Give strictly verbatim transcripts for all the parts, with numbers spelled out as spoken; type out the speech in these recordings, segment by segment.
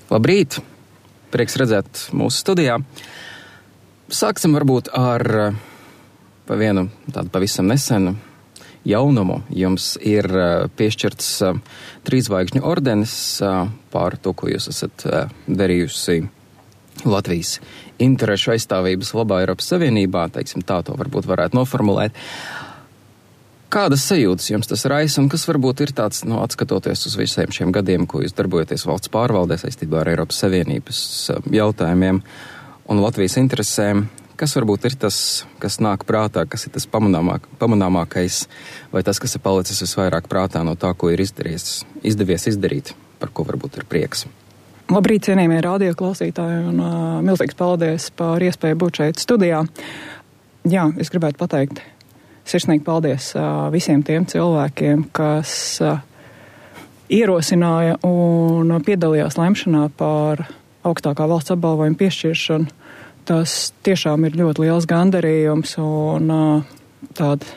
Labrīt! Prieks redzēt mūsu studijā. Sāksim varbūt ar pa vienu tādu pavisam nesenu jaunumu. Jums ir piešķirts trīszvaigžņu ordenis par to, ko jūs esat darījusi Latvijas interešu aizstāvības labā Eiropas Savienībā. Teiksim tā, to varbūt varētu noformulēt. Kādas sajūtas jums tas raisa un kas varbūt ir tāds, nu, atskatoties uz visiem šiem gadiem, ko jūs darbojaties valsts pārvaldē saistībā ar Eiropas Savienības jautājumiem un Latvijas interesēm, kas varbūt ir tas, kas nāk prātā, kas ir tas pamanāmāk, pamanāmākais vai tas, kas ir palicis visvairāk prātā no tā, ko ir izdarījies, izdevies izdarīt, par ko varbūt ir prieks? Labrīt, cienījamie radio klausītāji, un uh, milzīgs paldies par iespēju būt šeit studijā. Jā, es gribētu pateikt sirsnīgi paldies uh, visiem tiem cilvēkiem, kas uh, ierosināja un piedalījās lemšanā par augstākā valsts apbalvojuma piešķiršanu. Tas tiešām ir ļoti liels gandarījums un uh, tāda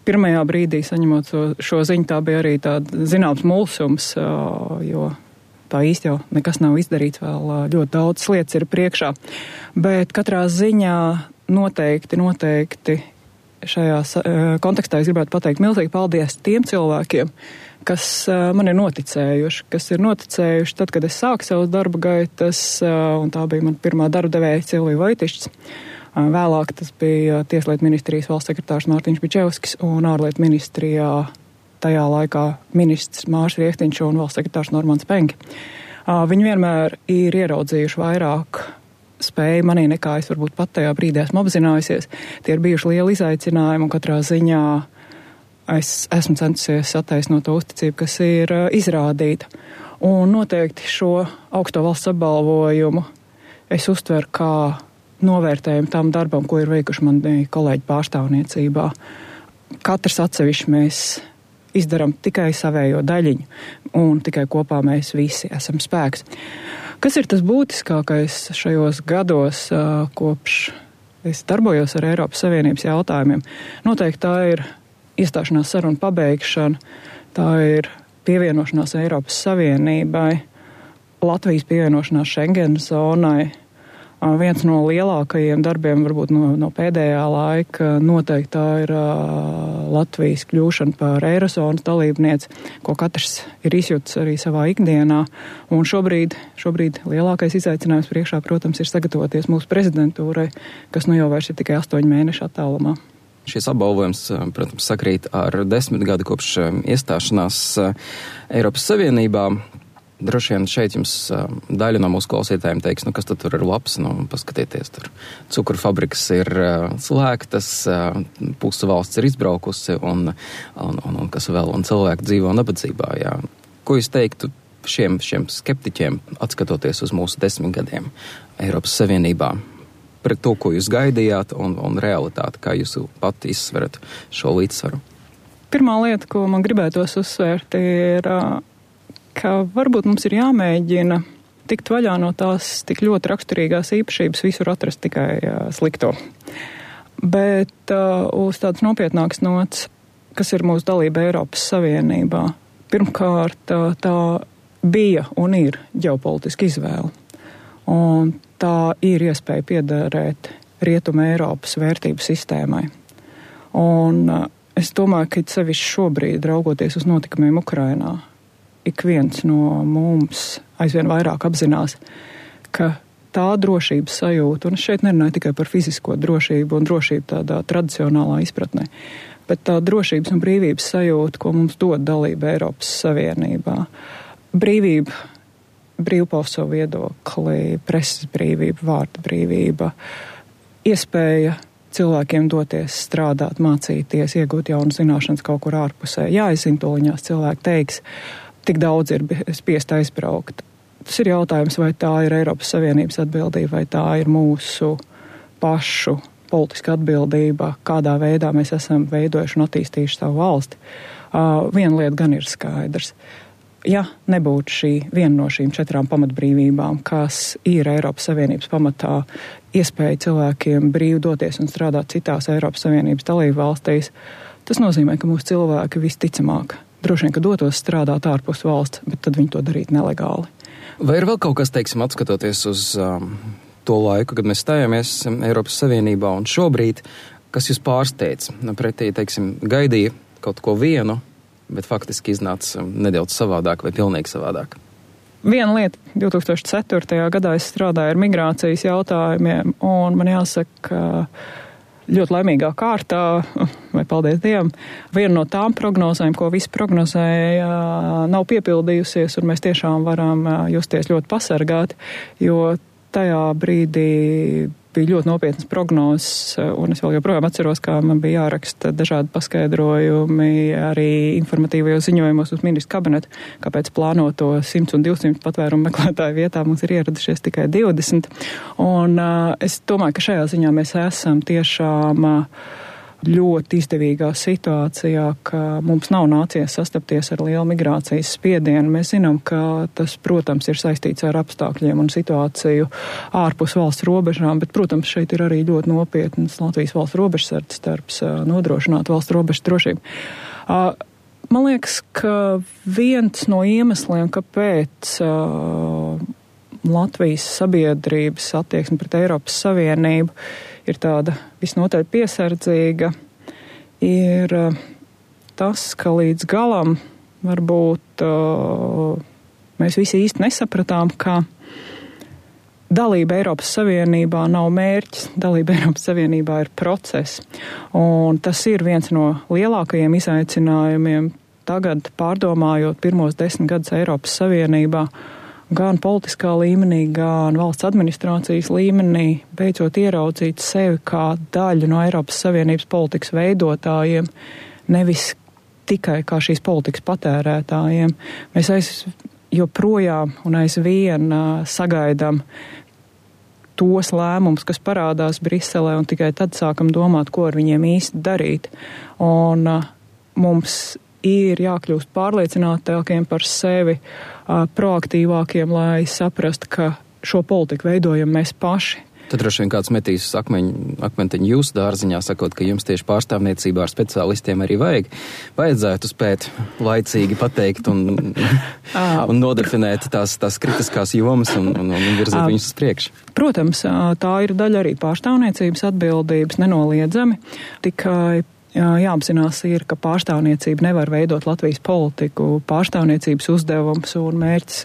pirmajā brīdī saņemot šo, šo ziņu, tā bija arī tāda zināms mulsums, uh, jo tā īsti jau nekas nav izdarīts, vēl uh, ļoti daudz lietas ir priekšā. Bet katrā ziņā noteikti, noteikti šajā kontekstā es gribētu pateikt milzīgi paldies tiem cilvēkiem, kas man ir noticējuši, kas ir noticējuši tad, kad es sāku savus darba gaitas, un tā bija man pirmā darba devēja Silvija Vojtišs. Vēlāk tas bija Tieslietu ministrijas valsts sekretārs Mārtiņš Bičevskis un ārlietu ministrijā tajā laikā ministrs Mārs Riektiņš un valsts sekretārs Normans Penki. Viņi vienmēr ir ieraudzījuši vairāk spēja manī nekā es varbūt pat tajā brīdī esmu apzinājusies. Tie ir bijuši lieli izaicinājumi un katrā ziņā es esmu centusies attaisnot to uzticību, kas ir uh, izrādīta. Un noteikti šo augsto valsts apbalvojumu es uztveru kā novērtējumu tam darbam, ko ir veikuši mani kolēģi pārstāvniecībā. Katrs atsevišķi mēs izdaram tikai savējo daļiņu un tikai kopā mēs visi esam spēks. Kas ir tas būtiskākais šajos gados, kopš es darbojos ar Eiropas Savienības jautājumiem? Noteikti tā ir iestāšanās saruna pabeigšana, tā ir pievienošanās Eiropas Savienībai, Latvijas pievienošanās Schengenas zonai. Viens no lielākajiem darbiem, varbūt no, no pēdējā laika, noteikti tā ir uh, Latvijas kļūšana par Eirozonas dalībnieci, ko katrs ir izjūtis arī savā ikdienā. Un šobrīd, šobrīd lielākais izaicinājums priekšā, protams, ir sagatavoties mūsu prezidentūrai, kas nu jau vairs ir tikai astoņu mēnešu attālumā. Šis apbalvojums, protams, sakrīt ar desmit gadu kopš iestāšanās Eiropas Savienībā. Droši vien šeit jums daļa no mūsu klausītājiem teiks, nu kas tad tur ir labs, nu paskatieties, tur cukuru fabrikas ir slēgtas, puse valsts ir izbraukusi un, un, un, un kas vēl, un cilvēki dzīvo nabadzībā, jā. Ko jūs teiktu šiem, šiem skeptiķiem, atskatoties uz mūsu desmit gadiem Eiropas Savienībā, pret to, ko jūs gaidījāt un, un realitāti, kā jūs pati izsverat šo līdzsvaru? Pirmā lieta, ko man gribētos uzsvērt, ir ka varbūt mums ir jāmēģina tikt vaļā no tās tik ļoti raksturīgās īpašības visur atrast tikai uh, slikto. Bet uh, uz tādas nopietnākas nots, kas ir mūsu dalība Eiropas Savienībā, pirmkārt uh, tā bija un ir ģeopolitiska izvēle. Un tā ir iespēja piederēt Rietuma Eiropas vērtību sistēmai. Un uh, es domāju, ka sevišķi šobrīd, raugoties uz notikumiem Ukrainā, ik viens no mums aizvien vairāk apzinās, ka tā drošības sajūta, un es šeit nerunāju tikai par fizisko drošību un drošību tādā tradicionālā izpratnē, bet tā drošības un brīvības sajūta, ko mums dod dalība Eiropas Savienībā. Brīvība, brīvpaust savu viedokli, preses brīvība, vārda brīvība, iespēja cilvēkiem doties strādāt, mācīties, iegūt jaunas zināšanas kaut kur ārpusē. Jā, es zinu, toliņās cilvēki teiks, tik daudz ir spiest aizbraukt. Tas ir jautājums, vai tā ir Eiropas Savienības atbildība, vai tā ir mūsu pašu politiska atbildība, kādā veidā mēs esam veidojuši un attīstījuši savu valsti. Uh, viena lieta gan ir skaidrs. Ja nebūtu šī viena no šīm četrām pamatbrīvībām, kas ir Eiropas Savienības pamatā, iespēja cilvēkiem brīvi doties un strādāt citās Eiropas Savienības dalību valstīs, tas nozīmē, ka mūsu cilvēki visticamāk droši vien, ka dotos strādāt ārpus valsts, bet tad viņi to darītu nelegāli. Vai ir vēl kaut kas, teiksim, atskatoties uz um, to laiku, kad mēs stājāmies Eiropas Savienībā un šobrīd, kas jūs pārsteidz? Pretī, teiksim, gaidīja kaut ko vienu, bet faktiski iznāca nedaudz savādāk vai pilnīgi savādāk. Viena lieta, divi tūkstoši ceturtajā gadā es strādāju ar migrācijas jautājumiem, un man jāsaka, ka ļoti laimīgā kārtā, vai paldies Dievam, viena no tām prognozēm, ko visi prognozēja, nav piepildījusies, un mēs tiešām varam justies ļoti pasargāti, jo tajā brīdī bija ļoti nopietnas prognozes, un es vēl joprojām atceros, kā man bija jāraksta dažādi paskaidrojumi arī informatīvajos ziņojumos uz ministru kabinetu, kāpēc plānoto simts un divsimt patvērumu meklētāju vietā mums ir ieradušies tikai divdesmit. Un uh, es domāju, ka šajā ziņā mēs esam tiešām uh, ļoti izdevīgā situācijā, ka mums nav nācies sastapties ar lielu migrācijas spiedienu. Mēs zinām, ka tas, protams, ir saistīts ar apstākļiem un situāciju ārpus valsts robežām, bet, protams, šeit ir arī ļoti nopietnas Latvijas valsts robežsardzes darbs nodrošināt valsts robežu drošību. Man liekas, ka viens no iemesliem, kāpēc Latvijas sabiedrības attieksme pret Eiropas Savienību ir tāda visnotaļ piesardzīga, ir tas, ka līdz galam varbūt mēs visi īsti nesapratām, ka dalība Eiropas Savienībā nav mērķis, dalība Eiropas Savienībā ir process. Un tas ir viens no lielākajiem izaicinājumiem tagad, pārdomājot pirmos desmit gadus Eiropas Savienībā, gan politiskā līmenī, gan valsts administrācijas līmenī, beidzot ieraudzīt sevi kā daļu no Eiropas Savienības politikas veidotājiem, nevis tikai kā šīs politikas patērētājiem. Mēs aiz joprojām un aizvien uh, sagaidām tos lēmumus, kas parādās Briselē, un tikai tad sākam domāt, ko ar viņiem īsti darīt. Un uh, mums ir jākļūst pārliecinātākiem par sevi, proaktīvākiem, lai saprastu, ka šo politiku veidojam mēs paši. Tad droši vien kāds metīs akmeņu, akmentiņu jūsu dārziņā, sakot, ka jums tieši pārstāvniecībā ar speciālistiem arī vajag. Vajadzētu spēt laicīgi pateikt un, un nodefinēt tās, tās kritiskās jomas un, un, un virzīt viņus uz priekšu. Protams, tā ir daļa arī pārstāvniecības atbildības, nenoliedzami. Tikai jāapzinās ir, ka pārstāvniecība nevar veidot Latvijas politiku. Pārstāvniecības uzdevums un mērķis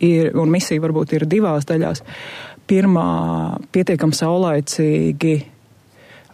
ir, un misija varbūt ir divās daļās. Pirmā, pietiekam saulaicīgi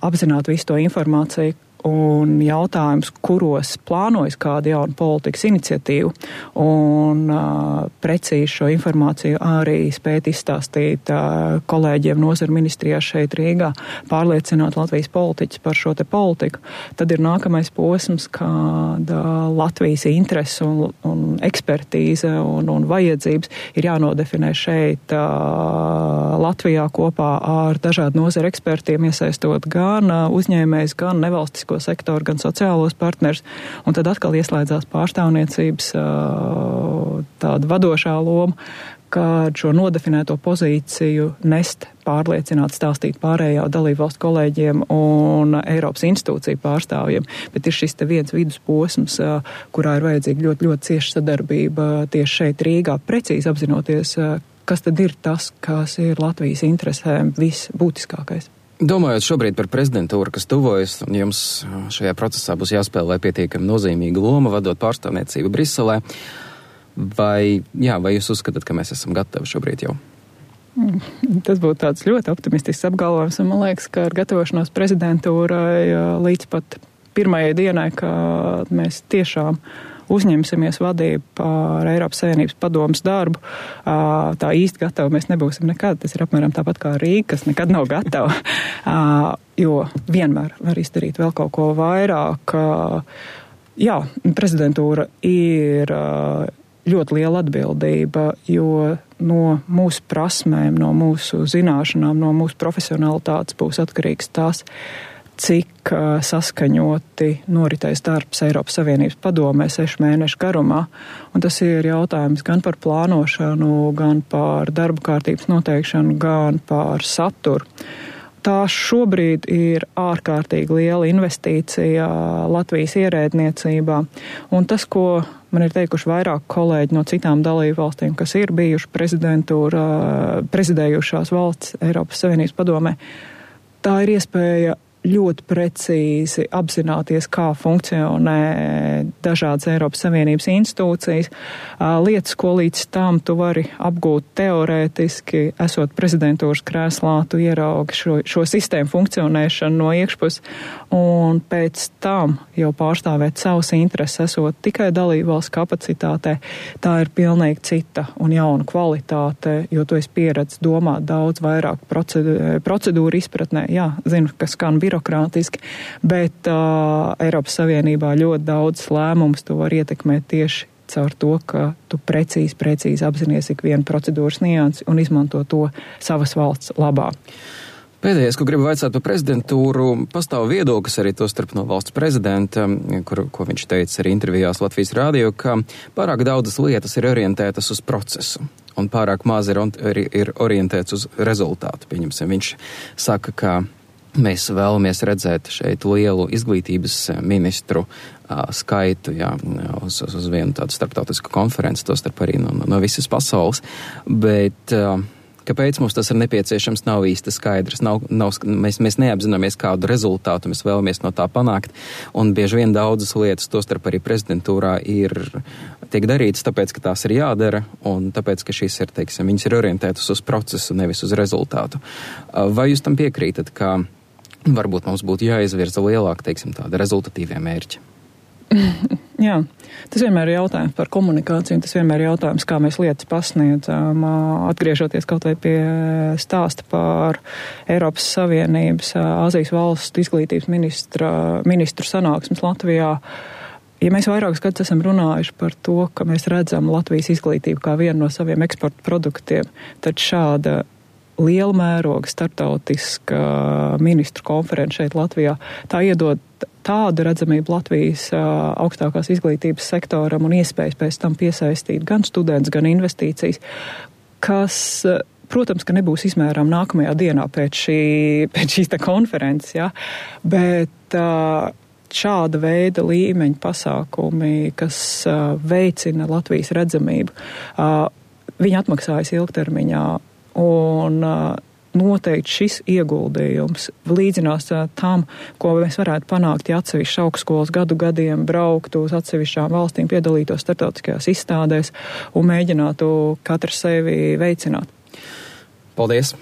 apzināt visu to informāciju un jautājums, kuros plānojas kāda jauna politikas iniciatīva, un uh, precīzi šo informāciju arī spēt izstāstīt uh, kolēģiem nozaru ministrijā šeit Rīgā, pārliecināt Latvijas politiķus par šo te politiku. Tad ir nākamais posms, kāda Latvijas interese un, un ekspertīze un, un vajadzības ir jānodefinē šeit uh, Latvijā kopā ar dažādu nozaru ekspertiem, iesaistot gan uh, uzņēmējs, gan nevalstisko sektoru, gan sociālos partners, un tad atkal ieslēdzās pārstāvniecības tāda vadošā loma, kad šo nodefinēto pozīciju nest, pārliecināt, stāstīt pārējā dalībvalstu kolēģiem un Eiropas institūciju pārstāvjiem. Bet ir šis te viens vidusposms, kurā ir vajadzīga ļoti, ļoti cieša sadarbība tieši šeit Rīgā, precīzi apzinoties, kas tad ir tas, kas ir Latvijas interesēm visbūtiskākais. Domājot šobrīd par prezidentūru, kas tuvojas, un jums šajā procesā būs jāspēlē pietiekami nozīmīga loma, vadot pārstāvniecību Briselē, vai, jā, vai jūs uzskatāt, ka mēs esam gatavi šobrīd jau? Tas būtu tāds ļoti optimistisks apgalvojums, un man liekas, ka ar gatavošanos prezidentūrai līdz pat pirmajai dienai, kad mēs tiešām uzņemsimies vadību par Eiropas Savienības padomas darbu, tā īsti gatavi mēs nebūsim nekad. Tas ir apmēram tāpat kā Rīga, kas nekad nav gatava, jo vienmēr var izdarīt vēl kaut ko vairāk. Jā, prezidentūra ir ļoti liela atbildība, jo no mūsu prasmēm, no mūsu zināšanām, no mūsu profesionalitātes būs atkarīgs tas, cik uh, saskaņoti noritēs darbs Eiropas Savienības padomē sešu mēnešu garumā. Un tas ir jautājums gan par plānošanu, gan par darba kārtības noteikšanu, gan par saturu. Tā šobrīd ir ārkārtīgi liela investīcija Latvijas ierēdniecībā, un tas, ko man ir teikuši vairāk kolēģi no citām dalību valstīm, kas ir bijuši prezidentūra, prezidējušās valsts Eiropas Savienības padomē, tā ir iespēja ļoti precīzi apzināties, kā funkcionē dažādas Eiropas Savienības institūcijas. Lietas, ko līdz tam tu vari apgūt teorētiski, esot prezidentūras krēslā, tu ieraugi šo, šo sistēmu funkcionēšanu no iekšpuses, un pēc tam jau pārstāvēt savus intereses, esot tikai dalībvalsts kapacitātē, tā ir pilnīgi cita un jauna kvalitāte, jo tu esi pieredzis domāt daudz vairāk procedūru, procedūru izpratnē. Jā, zinu, ka skan birokrātiski, bet uh, Eiropas Savienībā ļoti daudz lēmumus tu var ietekmēt tieši caur to, ka tu precīzi, precīzi apzinies ikvienu procedūras niansi un izmanto to savas valsts labā. Pēdējais, ko gribu vaicāt par prezidentūru, pastāv viedoklis arī to starp no valsts prezidenta, kur, ko viņš teica arī intervijās Latvijas rādio, ka pārāk daudzas lietas ir orientētas uz procesu un pārāk maz ir, ir orientēts uz rezultātu. Pieņemsim, viņš saka, ka mēs vēlamies redzēt šeit lielu izglītības ministru uh, skaitu, jā, uz, uz vienu tādu starptautisku konferenci, to starp arī no, no visas pasaules, bet uh, kāpēc mums tas ir nepieciešams, nav īsti skaidrs. Nav, nav, mēs, mēs neapzināmies, kādu rezultātu mēs vēlamies no tā panākt, un bieži vien daudzas lietas, tostarp arī prezidentūrā, ir tiek darītas tāpēc, ka tās ir jādara, un tāpēc, ka šīs ir, teiksim, viņas ir orientētas uz procesu, nevis uz rezultātu. Vai jūs tam piekrītat, ka varbūt mums būtu jāizvirza lielāk, teiksim, tāda rezultatīvie mērķi? Jā, tas vienmēr ir jautājums par komunikāciju, tas vienmēr ir jautājums, kā mēs lietas pasniedzam. Atgriežoties kaut vai pie stāsta par Eiropas Savienības Āzijas valstu izglītības ministra, ministru sanāksmes Latvijā. Ja mēs vairākus gadus esam runājuši par to, ka mēs redzam Latvijas izglītību kā vienu no saviem eksporta produktiem, tad šāda liela mēroga starptautiska ministru konference šeit Latvijā, tā iedod tādu redzamību Latvijas uh, augstākās izglītības sektoram un iespējas pēc tam piesaistīt gan students, gan investīcijas, kas, uh, protams, ka nebūs izmērām nākamajā dienā pēc, šī, pēc šīs te konferences, ja? Bet uh, šāda veida līmeņa pasākumi, kas uh, veicina Latvijas redzamību, uh, viņi atmaksājas ilgtermiņā un uh, noteikti šis ieguldījums līdzinās tam, ko mēs varētu panākt, ja atsevišķi augstskolas gadu gadiem brauktu uz atsevišķām valstīm, piedalītos starptautiskajās izstādēs un mēģinātu katru sevi veicināt. Paldies!